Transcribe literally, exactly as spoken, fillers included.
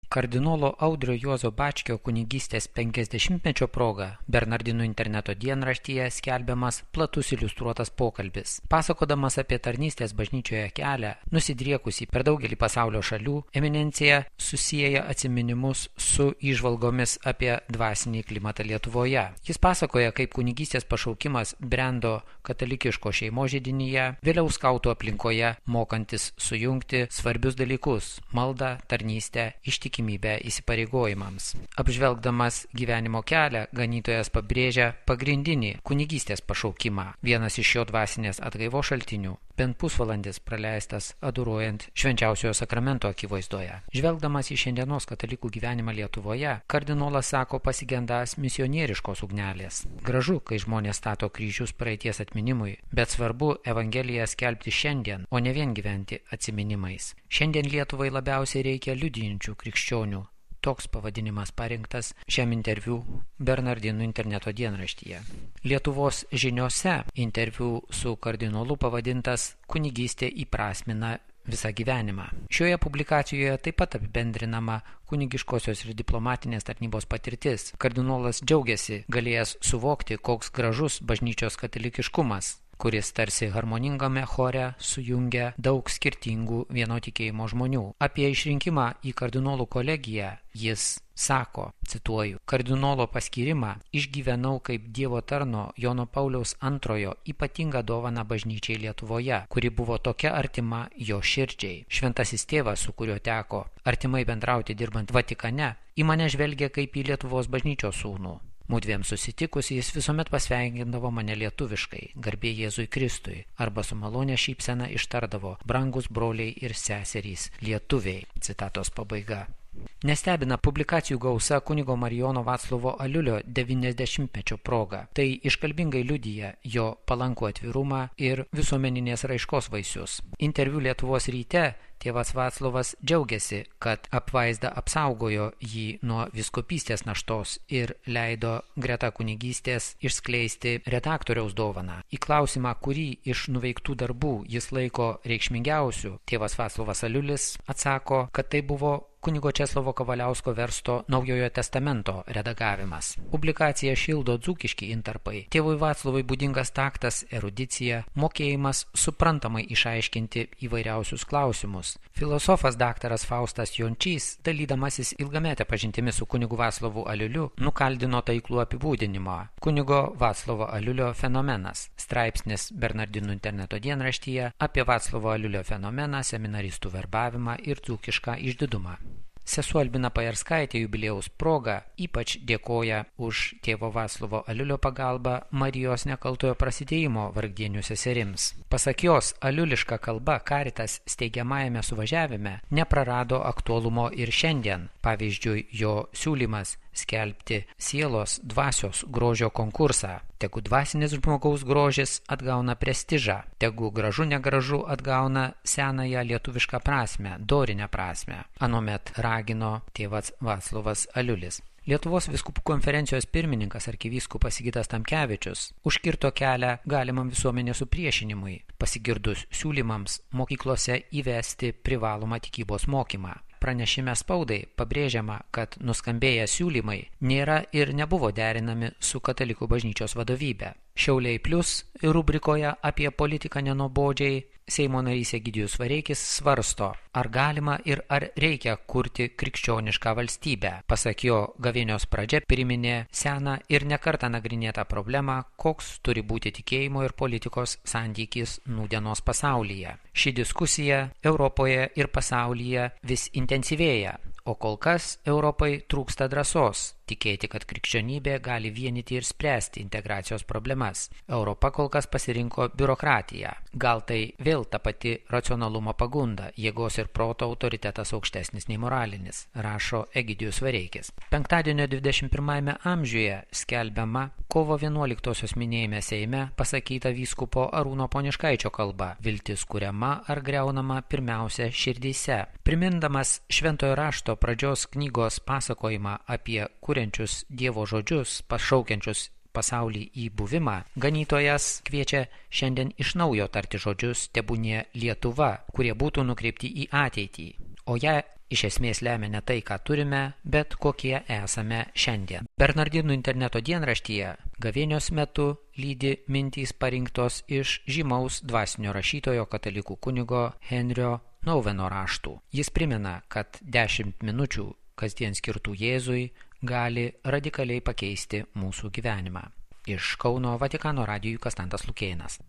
Kardinolo Audrio Juozo Bačkio kunigystės penkiasdešimtmečio proga Bernardinų interneto dienraštyje skelbiamas platus iliustruotas pokalbis. Pasakodamas apie tarnystės bažnyčioje kelią, nusidriekusį per daugelį pasaulio šalių, eminencija susieja atsiminimus su įžvalgomis apie dvasinį klimatą Lietuvoje. Jis pasakoja, kaip kunigystės pašaukimas brendo katalikiško šeimos židinyje, vėliau skautų aplinkoje, mokantis sujungti svarbius dalykus – maldą, tarnystę, ištikimybę įsipareigojimams. Apžvelgdamas gyvenimo kelią, ganytojas pabrėžia pagrindinį kunigystės pašaukimą. Vienas iš jo dvasinės atgaivos šaltinių – bent pusvalandis praleistas adoruojant švenčiausiojo sakramento akivaizdoje. Žvelgdamas į šiandienos katalikų gyvenimą Lietuvoje, kardinolas sako pasigendąs misionieriškos ugnelės. Gražu, kai žmonės stato kryžius praeities atminimui, bet svarbu Evangeliją skelbti šiandien, o ne vien gyventi atsiminimais. Šiandien Lietuvai labiausiai reikia liudijančių krikščionių. Toks pavadinimas parinktas šiam interviu Bernardinų interneto dienraštyje. Lietuvos žiniose interviu su kardinolu pavadintas Kunigystė įprasmina visą gyvenimą. Šioje publikacijoje taip pat apibendrinama kunigiškosios ir diplomatinės tarnybos patirtis. Kardinolas džiaugiasi galėjęs suvokti, koks gražus bažnyčios katalikiškumas, kuris tarsi harmoningame chore sujungia daug skirtingų vieno tikėjimo žmonių. Apie išrinkimą į kardinolų kolegiją jis sako, cituoju, kardinolo paskyrimą išgyvenau kaip Dievo tarno Jono Pauliaus antrojo ypatingą dovaną bažnyčiai Lietuvoje, kuri buvo tokia artima jo širdžiai. Šventasis tėvas, su kuriuo teko artimai bendrauti dirbant Vatikane, į mane žvelgia kaip į Lietuvos bažnyčios sūnų. Mudviem susitikus jis visuomet pasveikindavo mane lietuviškai, garbė Jėzui Kristui, arba su malonė šypsena ištardavo, brangus broliai ir seserys, lietuviai. Citatos pabaiga. Nestebina publikacijų gausa kunigo Marijono Vaclovo Aliulio devyniasdešimtmečio proga. Tai iškalbingai liudija jo palankų atvirumą ir visuomeninės raiškos vaisius. Interviu Lietuvos ryte tėvas Vaclovas džiaugiasi, kad apvaizda apsaugojo jį nuo vyskupystės naštos ir leido greta kunigystės išskleisti redaktoriaus dovaną. Į klausimą, kurį iš nuveiktų darbų jis laiko reikšmingiausių, tėvas Vaclovas Aliulis atsako, kad tai buvo kunigo Česlovo Kavaliausko versto Naujojo testamento redagavimas. Publikaciją šildo dzūkiški intarpai. Tėvui Vaclovui būdingas taktas, erudicija, mokėjimas suprantamai išaiškinti įvairiausius klausimus. Filosofas daktaras Faustas Jončys, dalydamasis ilgametę pažintimi su kunigu Vaclovu Aliuliu, nukaldino taiklų apibūdinimą. Kunigo Vaclovo Aliulio fenomenas. Straipsnis Bernardinų interneto dienraštyje apie Vaclovo Aliulio fenomeną, seminaristų verbavimą ir dzūkišką išdidumą. Sesuo Albina Pajarskaitė jubiliejaus proga ypač dėkoja už tėvo Vaclovo Aliulio pagalbą Marijos nekaltojo prasidėjimo vargdienių seserims. Pasak jos, aliuliška kalba Caritas steigiamajame suvažiavime neprarado aktualumo ir šiandien. Pavyzdžiui, jo siūlymas skelbti sielos dvasios grožio konkursą. Tegu dvasinis žmogaus grožis atgauna prestižą, tegu gražu negražu atgauna senąją lietuvišką prasmę, dorinę prasmę. Anomet ragino tėvas Vaclovas Aliulis. Lietuvos vyskupų konferencijos pirmininkas arkivyskupas Sigitas Tamkevičius užkirto kelią galimam visuomenės supriešinimui, pasigirdus siūlymams mokyklose įvesti privalomą tikybos mokymą. Pranešime spaudai pabrėžiama, kad nuskambėję siūlymai nėra ir nebuvo derinami su katalikų bažnyčios vadovybe. Šiauliai Plius rubrikoje apie politiką nenobodžiai Seimo narys Egidijus Vareikis svarsto, ar galima ir ar reikia kurti krikščionišką valstybę. Pasak jo, gavėnios pradžia priminė seną ir nekartą nagrinėtą problemą, koks turi būti tikėjimo ir politikos santykis nūdienos pasaulyje. Ši diskusija Europoje ir pasaulyje vis intensyvėja, o kol kas Europai trūksta drąsos tikėti, kad krikščionybė gali vienyti ir spręsti integracijos problemas. Europa kol kas pasirinko biurokratiją. Gal tai vėl ta pati racionalumo pagunda, jėgos ir proto autoritetas aukštesnis nei moralinis, rašo Egidijus Vareikis. Penktadienio dvidešimt pirmajame amžiuje skelbiama kovo vienuoliktosios minėjime Seime pasakyta vyskupo Arūno Poniškaičio kalba. Viltis kuriama ar greunama pirmiausia širdyse. Primindamas šventojo rašto pradžios knygos pasakojimą apie kuriančius Dievo žodžius, pašaukiančius pasaulį į buvimą, ganytojas kviečia šiandien iš naujo tarti žodžius tebūnie Lietuva, kurie būtų nukreipti į ateitį. o ją iš esmės lemia ne tai, ką turime, bet kokie esame šiandien. Bernardinų interneto dienraštyje gavėnios metu lydi mintys parinktos iš žymaus dvasinio rašytojo katalikų kunigo Henrio Noueno raštų. Jis primena, kad dešimt minučių kasdien skirtų Jėzui gali radikaliai pakeisti mūsų gyvenimą. Iš Kauno Vatikano radijui Konstantas Lukėnas.